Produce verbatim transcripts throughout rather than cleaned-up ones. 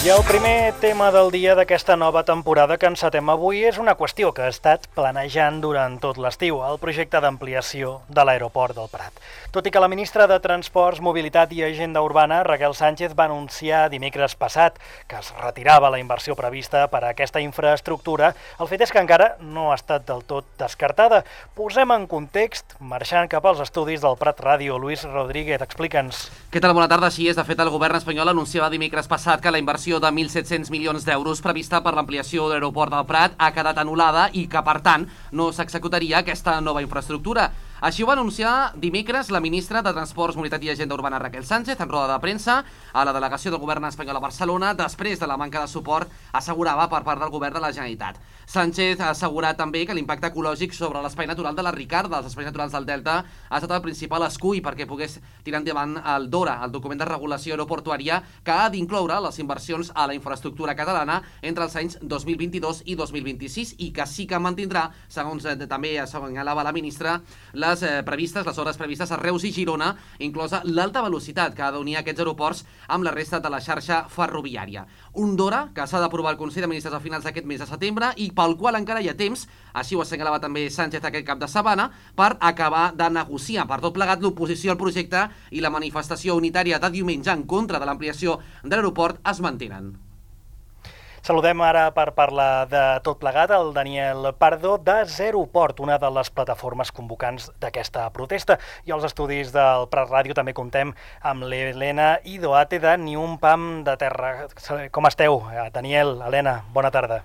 I el primer tema del dia d'aquesta nova temporada que encetem avui és una qüestió que ha estat planejant durant tot l'estiu, el projecte d'ampliació de l'aeroport del Prat. Tot i que la ministra de Transports, Mobilitat i Agenda Urbana, Raquel Sánchez, va anunciar dimecres passat que es retirava la inversió prevista per a aquesta infraestructura, el fet és que encara no ha estat del tot descartada. Posem en context, marxant cap als estudis del Prat Ràdio. Lluís Rodríguez, explica'ns. Què tal? Bona tarda. Així és. De fet, el govern espanyol anunciava dimecres passat que la inversió de mil set-cents milions d'euros prevista per l'ampliació de l'aeroport del Prat ha quedat anul·lada i que, per tant, no s'executaria aquesta nova infraestructura. Així ho va anunciar dimecres la ministra de Transports, Mobilitat i Agenda Urbana, Raquel Sánchez, en roda de premsa a la delegació del govern espanyol a Barcelona, després de la manca de suport assegurava per part del govern de la Generalitat. Sánchez ha assegurat també que l'impacte ecològic sobre l'espai natural de la Ricarda, els espais naturals del Delta, ha estat el principal escull perquè pogués tirar endavant el DORA, el document de regulació aeroportuària, que ha d'incloure les inversions a la infraestructura catalana entre els anys dos mil vint-i-dos i dos mil vint-i-sis i que sí que mantindrà, segons eh, també assenyalava la ministra, les eh, previstes, les hores previstes a Reus i Girona, inclosa l'alta velocitat que ha d'unir aquests aeroports amb la resta de la xarxa ferroviària. Un DORA que s'ha d'aprovar el Consell de Ministres a finals d'aquest mes de setembre i pel qual encara hi ha temps, així ho assenyalava també Sánchez aquest cap de setmana, per acabar de negociar. Per tot plegat, l'oposició al projecte i la manifestació unitària de diumenge en contra de l'ampliació de l'aeroport es mantenen. Saludem ara per parlar de tot plegat el Daniel Pardo de Zeroport, una de les plataformes convocants d'aquesta protesta. I als estudis del Prat Ràdio també comptem amb l'Helena Idoate de Ni un pam de terra. Com esteu, Daniel, Helena? Bona tarda.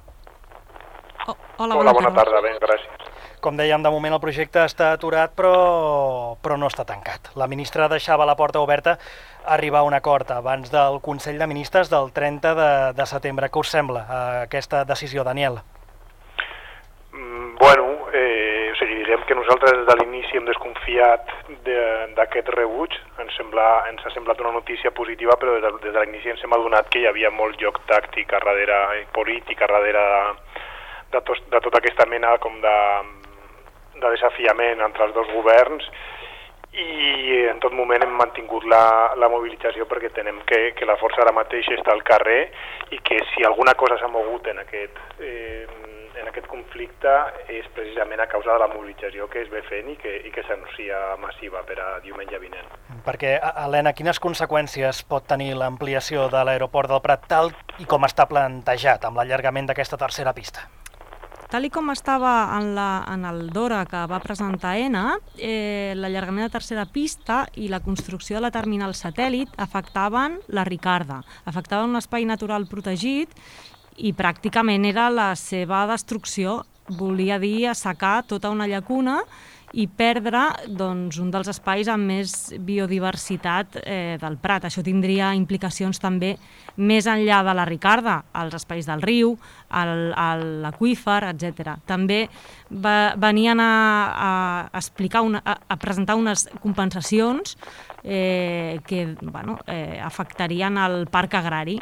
Oh, hola, bona, hola, bona tarda. tarda, ben, gràcies. Com dèiem, de moment el projecte està aturat, però, però no està tancat. La ministra deixava la porta oberta a arribar a un acord abans del Consell de Ministres del trenta de, de setembre. Què us sembla aquesta decisió, Daniel? Mm, bueno, eh, o sigui, direm que nosaltres des de l'inici hem desconfiat d'aquest rebuig. Ens, sembla, ens ha semblat una notícia positiva, però des de, des de l'inici ens hem adonat que hi havia molt joc tàctic a darrere, polític a darrere de, de, tos, de tota aquesta mena com de, de desafiament entre els dos governs, i en tot moment hem mantingut la, la mobilització perquè tenem que, que la força ara mateix està al carrer i que si alguna cosa s'ha mogut en aquest, eh, en aquest conflicte és precisament a causa de la mobilització que es ve fent i que, i que s'anuncia massiva per a diumenge vinent. Perquè, Helena, quines conseqüències pot tenir l'ampliació de l'aeroport del Prat tal i com està plantejat amb l'allargament d'aquesta tercera pista? Tal i com estava en, la, en el DORA que va presentar ENA, eh, l'allargament de tercera pista i la construcció de la terminal satèl·lit afectaven la Ricarda, afectaven un espai natural protegit i pràcticament era la seva destrucció. Volia dir assecar tota una llacuna i perdre doncs, un dels espais amb més biodiversitat eh, del Prat. Això tindria implicacions també més enllà de la Ricarda, als espais del riu, l'aqüífer, etcètera. També va, venien a, a, explicar una, a, a presentar unes compensacions eh, que bueno, eh, afectarien el parc agrari.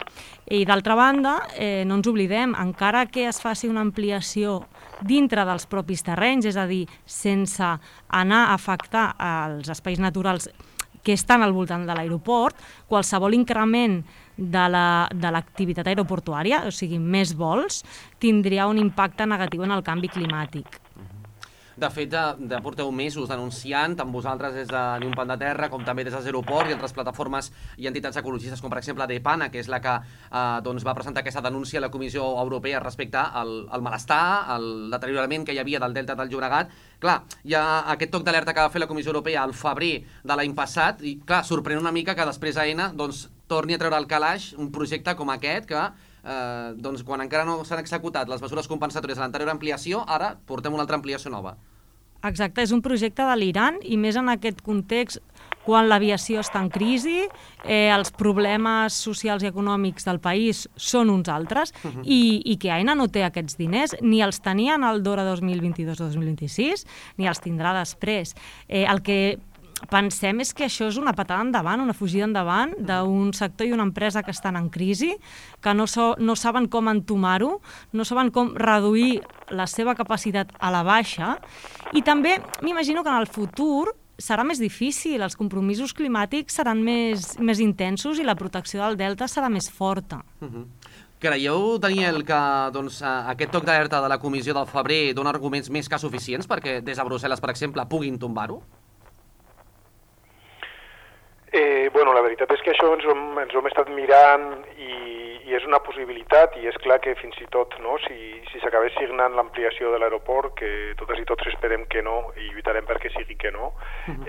I d'altra banda, eh, no ens oblidem, encara que es faci una ampliació dintre dels propis terrenys, és a dir, sense anar a afectar els espais naturals que estan al voltant de l'aeroport, qualsevol increment de l'activitat la, aeroportuària, o sigui, més vols, tindria un impacte negatiu en el canvi climàtic. De fet, ja, ja porteu mesos denunciant, tant vosaltres des de Ni un pam de terra, com també des de Zeroport i altres plataformes i entitats ecologistes, com per exemple DEPANA, que és la que eh, doncs va presentar aquesta denúncia a la Comissió Europea respecte al, al malestar, al deteriorament que hi havia del Delta del Llobregat. Clar, hi ha aquest toc d'alerta que va fer la Comissió Europea al febrer de l'any passat i, clar, sorprèn una mica que després AENA doncs, torni a treure al calaix un projecte com aquest que Eh, doncs quan encara no s'han executat les mesures compensatòries de l'anterior ampliació, ara portem una altra ampliació nova. Exacte, és un projecte delirant i més en aquest context quan l'aviació està en crisi, eh, els problemes socials i econòmics del país són uns altres uh-huh. i, i que AENA no té aquests diners, ni els tenia en el DORA dos mil vint-i-dos dos mil vint-i-sis, ni els tindrà després. Eh, el que pensem és que això és una patada endavant, una fugida endavant d'un sector i una empresa que estan en crisi, que no, so, no saben com entomar-ho, no saben com reduir la seva capacitat a la baixa, i també m'imagino que en el futur serà més difícil, els compromisos climàtics seran més, més intensos i la protecció del delta serà més forta. Uh-huh. Creieu, Daniel, que doncs, aquest toc d'alerta de la comissió del febrer dona arguments més que suficients perquè des de Brussel·les, per exemple, puguin tombar-ho? Eh, bueno, la veritat és que això ens ho hem, ens ho hem estat mirant i, i és una possibilitat, i és clar que fins i tot, no, si, si s'acabés signant l'ampliació de l'aeroport, que totes i tots esperem que no, i lluitarem perquè sigui que no,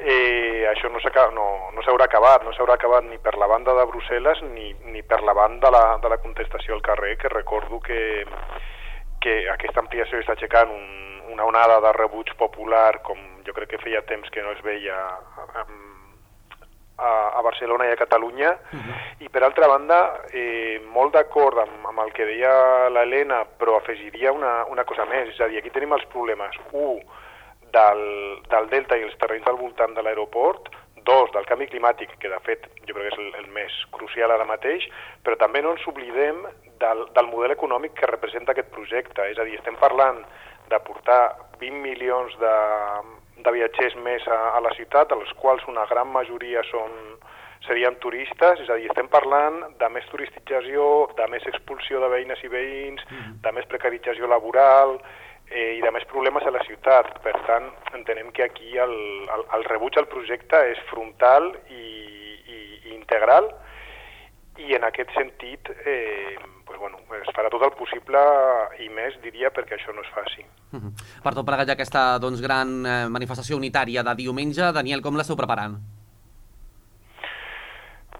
eh, això no s'haurà no, no s'haurà acabat, no s'haurà acabat ni per la banda de Brussel·les ni, ni per la banda de la, de la contestació al carrer, que recordo que, que aquesta ampliació està aixecant un, una onada de rebuig popular, com jo crec que feia temps que no es veia amb a Barcelona i a Catalunya, uh-huh. I per altra banda, eh, molt d'acord amb, amb el que deia l'Helena, però afegiria una, una cosa més, és a dir, aquí tenim els problemes, un, del, del delta i els terrenys al voltant de l'aeroport, dos, del canvi climàtic, que de fet jo crec que és el, el més crucial ara mateix, però també no ens oblidem del, del model econòmic que representa aquest projecte, és a dir, estem parlant de portar vint milions de de viatgers més a, a la ciutat, dels quals una gran majoria són, serien turistes, és a dir, estem parlant de més turistització, de més expulsió de veïnes i veïns, mm. de més precarització laboral eh, i de més problemes a la ciutat. Per tant, entenem que aquí el, el, el rebuig al projecte és frontal i, i, i integral, i en aquest sentit eh, pues bueno, es farà tot el possible i més, diria, perquè això no es faci. Uh-huh. Per tot plegat, ja aquesta doncs, gran eh, manifestació unitària de diumenge, Daniel, com l'esteu preparant?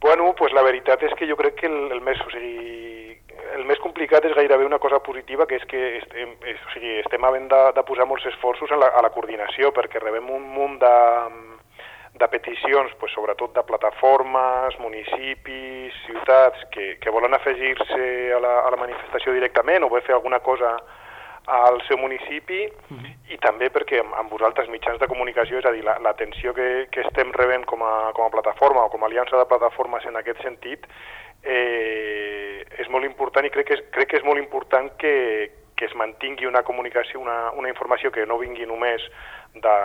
Bueno, pues la veritat és que jo crec que el, el, més, o sigui, el més complicat és gairebé una cosa positiva, que és que estem, és, o sigui, estem havent de, de posar molts esforços a la, a la coordinació, perquè rebem un munt de... de peticions, pues, sobretot de plataformes, municipis, ciutats, que, que volen afegir-se a, la, a la manifestació directament o voler fer alguna cosa al seu municipi, uh-huh. I també perquè amb, amb vosaltres mitjans de comunicació, és a dir, l'atenció la, que, que estem rebent com a, com a plataforma o com a aliança de plataformes en aquest sentit, eh, és molt important i crec que és, crec que és molt important que, que es mantingui una comunicació, una, una informació que no vingui només de,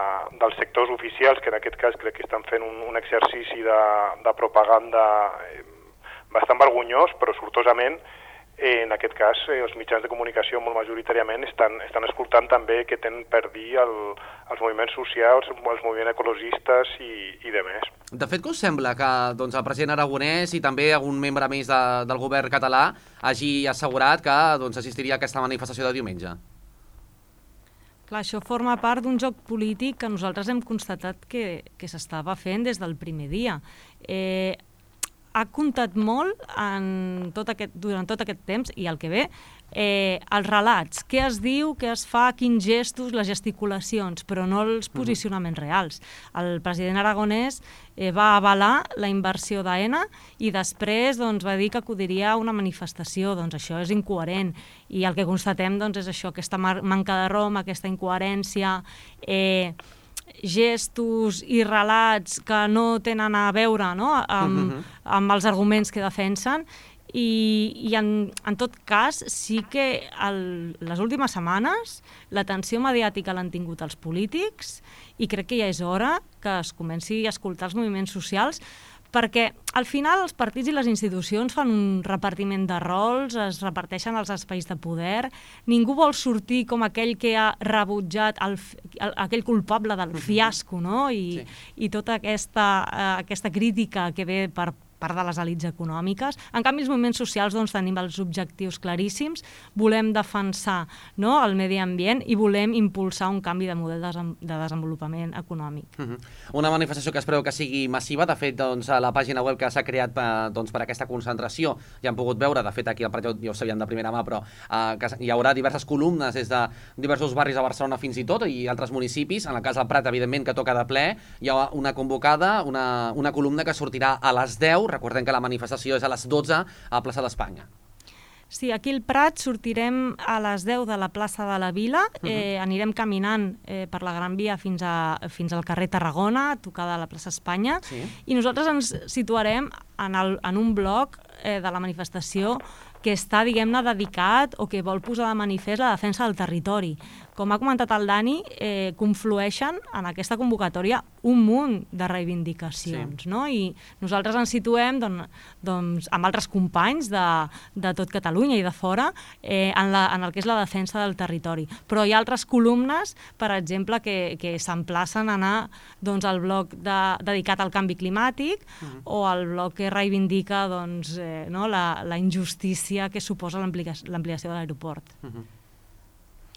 dels sectors oficials, que en aquest cas crec que estan fent un, un exercici de, de propaganda eh, bastant vergonyós, però sortosament eh, en aquest cas eh, els mitjans de comunicació molt majoritàriament estan, estan escoltant també que tenen per dir el, els moviments socials, els moviments ecologistes i, i de més. De fet, què us sembla que doncs, el president aragonès i també algun membre més de, del govern català hagi assegurat que doncs, assistiria a aquesta manifestació de diumenge? Clar, això forma part d'un joc polític que nosaltres hem constatat que, que s'estava fent des del primer dia. Eh, ha comptat molt en tot aquest, durant tot aquest temps i el que ve, eh, els relats, què es diu, què es fa, quins gestos, les gesticulacions, però no els posicionaments reals. El president aragonès eh, va avalar la inversió d'Aena i després doncs, va dir que acudiria a una manifestació. Doncs això és incoherent i el que constatem doncs, és això, aquesta manca de rom, aquesta incoherència, eh, gestos i relats que no tenen a veure, no? amb, uh-huh. amb els arguments que defensen i, i en, en tot cas sí que el, les últimes setmanes l'atenció mediàtica l'han tingut els polítics i crec que ja és hora que es comenci a escoltar els moviments socials, perquè al final els partits i les institucions fan un repartiment de rols, es reparteixen els espais de poder, ningú vol sortir com aquell que ha rebutjat el, el, aquell culpable del fiasco, no? I, sí. i tota aquesta, uh, aquesta crítica que ve per part de les elits econòmiques. En canvi, els moviments socials doncs, tenim els objectius claríssims, volem defensar, no?, el medi ambient i volem impulsar un canvi de model de, de desenvolupament econòmic. Uh-huh. Una manifestació que es preveu que sigui massiva. De fet, doncs, a la pàgina web que s'ha creat per, doncs, per aquesta concentració ja han pogut veure, de fet aquí al Prat ja ho sabien de primera mà, però uh, que hi haurà diverses columnes des de diversos barris a Barcelona fins i tot i altres municipis. En el cas del Prat, evidentment, que toca de ple, hi ha una convocada, una, una columna que sortirà a les deu. Recordem que la manifestació és a les dotze a Plaça d'Espanya. Sí, aquí al Prat sortirem a les deu de la plaça de la Vila, uh-huh. eh, anirem caminant eh, per la Gran Via fins, a, fins al carrer Tarragona, tocada a la plaça Espanya, sí. I nosaltres ens situarem en, el, en un bloc eh, de la manifestació que està, diguem-ne, dedicat o que vol posar de manifest la defensa del territori, com ha comentat el Dani, eh, conflueixen en aquesta convocatòria un munt de reivindicacions, sí. no? I nosaltres ens situem doncs, doncs, amb altres companys de, de tot Catalunya i de fora eh, en, la, en el que és la defensa del territori. Però hi ha altres columnes, per exemple, que, que s'emplacen a anar doncs, al bloc de, dedicat al canvi climàtic uh-huh. o al bloc que reivindica doncs, eh, no, la, la injustícia que suposa l'ampliació de l'aeroport. Uh-huh.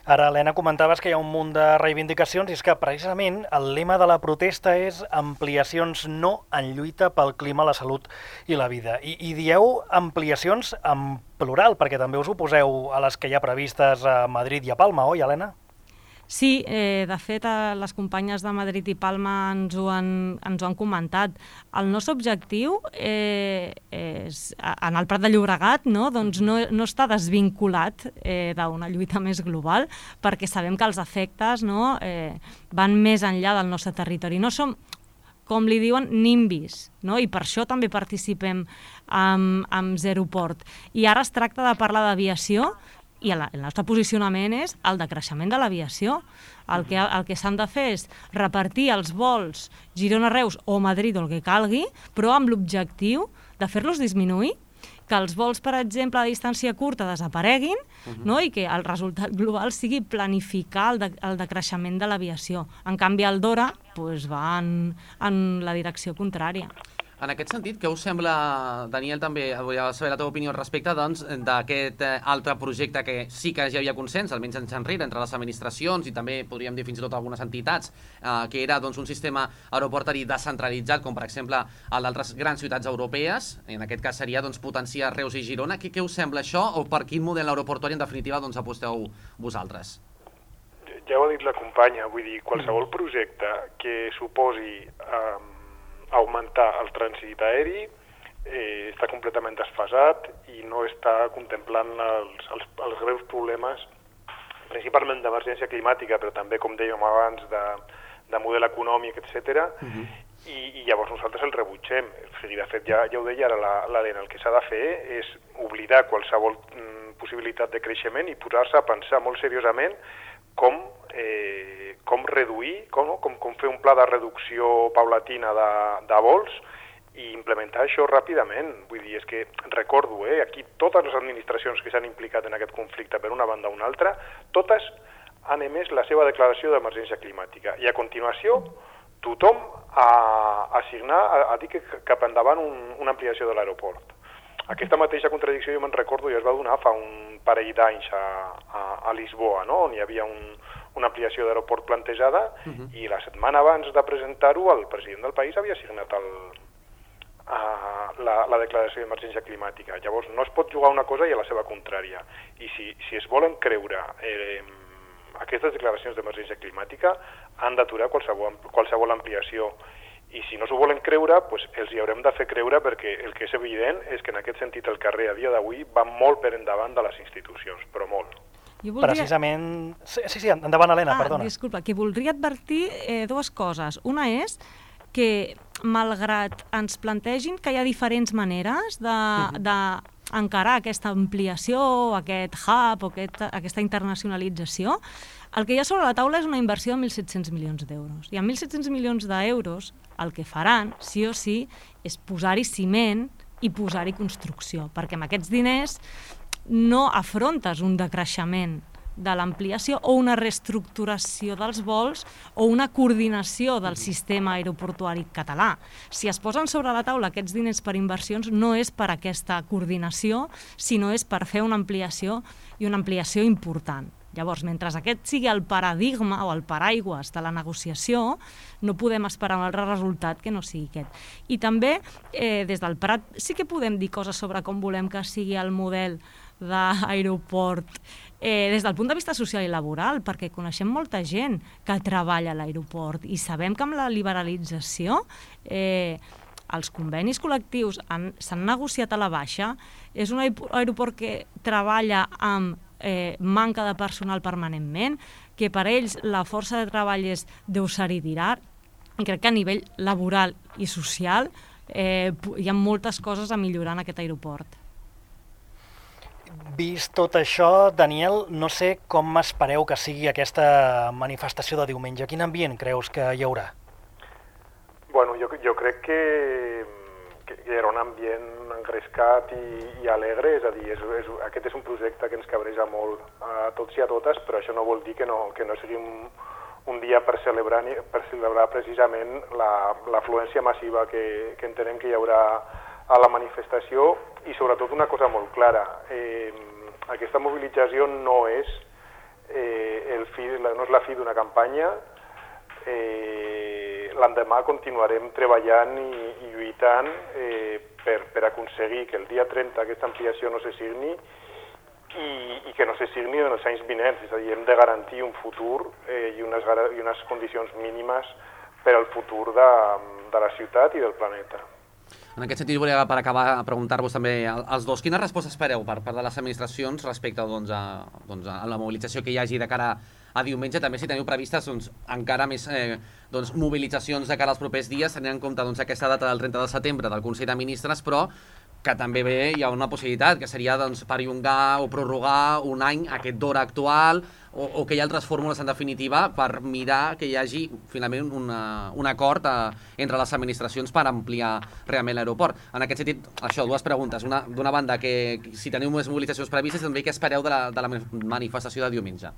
Ara, Helena, comentaves que hi ha un munt de reivindicacions i és que precisament el lema de la protesta és ampliacions no en lluita pel clima, la salut i la vida. I, i dieu ampliacions en plural, perquè també us oposeu a les que hi ha previstes a Madrid i a Palma, oi, Helena? Sí, eh, de fet, eh, les companyes de Madrid i Palma ens ho han, ens ho han comentat. El nostre objectiu eh, és, en el Prat de Llobregat no, doncs no, no està desvinculat eh, d'una lluita més global, perquè sabem que els efectes no, eh, van més enllà del nostre territori. No som, com li diuen, nimbis, no? I per això també participem amb, amb Zeroport. I ara es tracta de parlar d'aviació, i el nostre posicionament és el decreixement de l'aviació. El que, el que s'han de fer és repartir els vols Girona-Reus o Madrid o el que calgui, però amb l'objectiu de fer-los disminuir, que els vols, per exemple, a distància curta desapareguin uh-huh. no? I que el resultat global sigui planificar el, de, el decreixement de l'aviació. En canvi, el Dora pues, va en, en la direcció contrària. En aquest sentit, què us sembla, Daniel, també vull saber la teva opinió al respecte doncs, d'aquest altre projecte que sí que ja havia consens, almenys en enrere, entre les administracions i també podríem dir fins i tot algunes entitats, eh, que era doncs, un sistema aeroportari descentralitzat, com per exemple el d'altres grans ciutats europees, en aquest cas seria doncs, potenciar Reus i Girona. Què, què us sembla això o per quin model aeroportuari en definitiva doncs, aposteu vosaltres? Ja ho ha dit la companya, vull dir, qualsevol projecte que suposi eh, augmentar el trànsit aeri eh, està completament desfasat i no està contemplant els, els, els greus problemes, principalment d'emergència climàtica, però també, com dèiem abans, de, de model econòmic, etcètera. Uh-huh. I, I llavors nosaltres el rebutgem. O sigui, de fet, ja, ja ho deia ara l'Helena, el que s'ha de fer és oblidar qualsevol mm, possibilitat de creixement i posar-se a pensar molt seriosament com, eh, com reduir, com, com, com fer un pla de reducció paulatina de, de vols i implementar això ràpidament. Vull dir, és que recordo, eh, aquí totes les administracions que s'han implicat en aquest conflicte per una banda o una altra, totes han emès la seva declaració d'emergència climàtica i a continuació tothom ha, a signar, a, a dir que cap endavant un, una ampliació de l'aeroport. Aquesta mateixa contradicció jo me'n recordo i es va donar fa un parell d'anys a, a, a Lisboa, no? On hi havia un, una ampliació d'aeroport plantejada uh-huh. i la setmana abans de presentar-ho el president del país havia signat el, a, la, la declaració d'emergència climàtica. Llavors no es pot jugar una cosa i a la seva contrària. I si, si es volen creure eh, aquestes declaracions d'emergència climàtica han d'aturar qualsevol, qualsevol ampliació. I si no s'ho volen creure, doncs els hi haurem de fer creure perquè el que és evident és que en aquest sentit el carrer a dia d'avui va molt per endavant de les institucions, però molt. Jo voldria... Precisament... Sí, sí, endavant, Helena, ah, perdona. Disculpa, que voldria advertir eh, dues coses. Una és que, malgrat ens plantegin que hi ha diferents maneres de, uh-huh. de encarar aquesta ampliació, aquest hub o aquest, aquesta internacionalització, el que hi ha sobre la taula és una inversió de mil set-cents milions d'euros. I amb mil set-cents milions d'euros el que faran, sí o sí, és posar-hi ciment i posar-hi construcció, perquè amb aquests diners no afrontes un decreixement de l'ampliació o una reestructuració dels vols o una coordinació del sistema aeroportuari català. Si es posen sobre la taula aquests diners per inversions, no és per aquesta coordinació, sinó és per fer una ampliació i una ampliació important. Llavors, mentre aquest sigui el paradigma o el paraigües de la negociació, no podem esperar un altre resultat que no sigui aquest. I també, eh, des del Prat, sí que podem dir coses sobre com volem que sigui el model d'aeroport eh, des del punt de vista social i laboral, perquè coneixem molta gent que treballa a l'aeroport i sabem que amb la liberalització eh, els convenis col·lectius s'han negociat a la baixa. És un aeroport que treballa amb eh, manca de personal permanentment, que per ells la força de treball és deusar i dirar. I crec que a nivell laboral i social eh, hi ha moltes coses a millorar en aquest aeroport. vist tot això, Daniel, no sé com espereu que sigui aquesta manifestació de diumenge. Quin ambient creus que hi haurà? Bueno, jo, jo crec que, que hi haurà un ambient engrescat i, i alegre, és a dir, és, és, aquest és un projecte que ens cabreja molt a tots i a totes, però això no vol dir que no, que no sigui un, un dia per celebrar, per celebrar precisament l'afluència massiva que, que entenem que hi haurà a la manifestació i sobretot una cosa molt clara. Eh, aquesta mobilització no és, eh, el fi, no és la fi d'una campanya. Eh, L'endemà continuarem treballant i, i lluitant eh, per, per aconseguir que el dia trenta aquesta ampliació no se signi i, i que no se signi en els anys vinents. És a dir, hem de garantir un futur eh, i, unes, i unes condicions mínimes per al futur de, de la ciutat i del planeta. En aquest sentit, volia per acabar preguntar-vos també als dos, quina resposta espereu per part de les administracions respecte doncs, a, doncs, a la mobilització que hi hagi de cara a diumenge? També si teniu previstes doncs, encara més eh, doncs, mobilitzacions de cara als propers dies, tenint en compte doncs, aquesta data del trenta de setembre del Consell de Ministres, però que també bé hi ha una possibilitat, que seria doncs, perllongar o prorrogar un any aquest d'hora actual, o, o que hi ha altres fórmules en definitiva per mirar que hi hagi finalment una, un acord a, entre les administracions per ampliar realment l'aeroport. En aquest sentit, això, dues preguntes. Una, d'una banda, que si teniu més mobilitzacions previstes, també què espereu de la, de la manifestació de diumenge?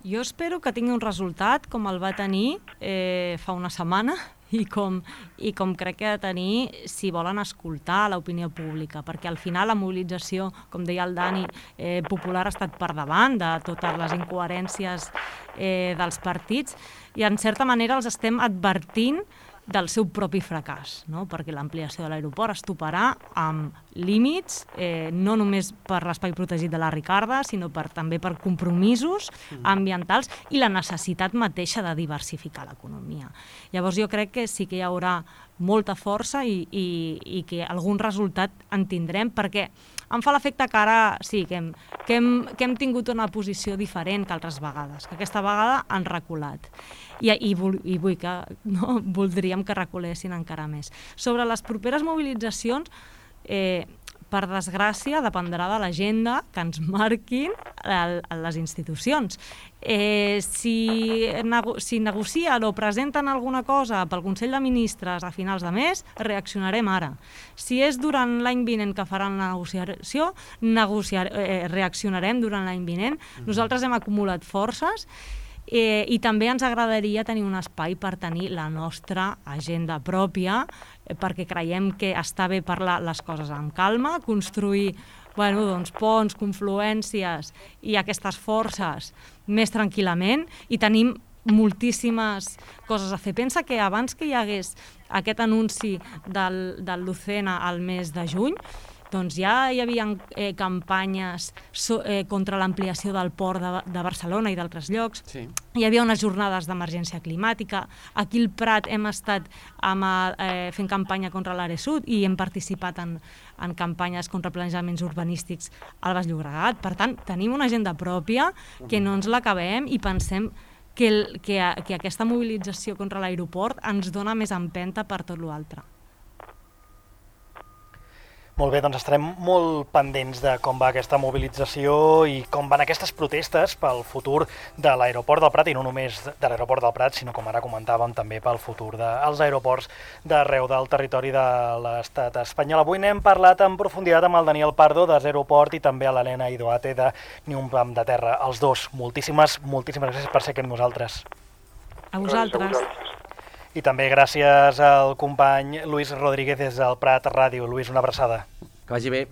Jo espero que tingui un resultat com el va tenir eh, fa una setmana, i com, i com crec que ha de tenir si volen escoltar l'opinió pública, perquè al final la mobilització, com deia el Dani, eh, popular ha estat per davant de totes les incoherències eh, dels partits i en certa manera els estem advertint del seu propi fracàs, no? Perquè l'ampliació de l'aeroport es toparà amb límits, eh, no només per l'espai protegit de la Ricarda, sinó per, també per compromisos ambientals i la necessitat mateixa de diversificar l'economia. Llavors jo crec que sí que hi haurà molta força i, i, i que algun resultat en tindrem, perquè em fa l'efecte que ara sí, que hem, que, hem, que hem tingut una posició diferent que altres vegades, que aquesta vegada han reculat. I, i, i vull que, no, voldríem que reculessin encara més. Sobre les properes mobilitzacions, eh, per desgràcia, dependrà de l'agenda que ens marquin el, les institucions. Eh, si, nego, si negocien o presenten alguna cosa pel Consell de Ministres a finals de mes, reaccionarem ara. Si és durant l'any vinent que faran la negociació, negociar, eh, reaccionarem durant l'any vinent. Nosaltres hem acumulat forces Eh, i també ens agradaria tenir un espai per tenir la nostra agenda pròpia, eh, perquè creiem que està bé parlar les coses amb calma, construir bueno, doncs, ponts, confluències i aquestes forces més tranquil·lament, i tenim moltíssimes coses a fer. Pensa que abans que hi hagués aquest anunci del, del Lucena al mes de juny, doncs ja hi havia eh, campanyes so, eh, contra l'ampliació del port de, de Barcelona i d'altres llocs. Sí. Hi havia unes jornades d'emergència climàtica. Aquí al Prat hem estat amb, eh, fent campanya contra l'Aresud i hem participat en, en campanyes contra planejaments urbanístics al Baix Llobregat. Per tant, tenim una agenda pròpia que no ens l'acabem i pensem que, el, que, que aquesta mobilització contra l'aeroport ens dona més empenta per tot l'altre. Molt bé, doncs estarem molt pendents de com va aquesta mobilització i com van aquestes protestes pel futur de l'aeroport del Prat, i no només de l'aeroport del Prat, sinó, com ara comentàvem, també pel futur dels aeroports d'arreu del territori de l'estat espanyol. Avui n'hem parlat en profunditat amb el Daniel Pardo, de Zeroport, i també a l'Helena Idoate, de Ni un pam de terra. Els dos, moltíssimes, moltíssimes gràcies per ser aquí amb nosaltres. A vosaltres. I també gràcies al company Lluís Rodríguez des del Prat Ràdio. Lluís, una abraçada. Que vagi bé.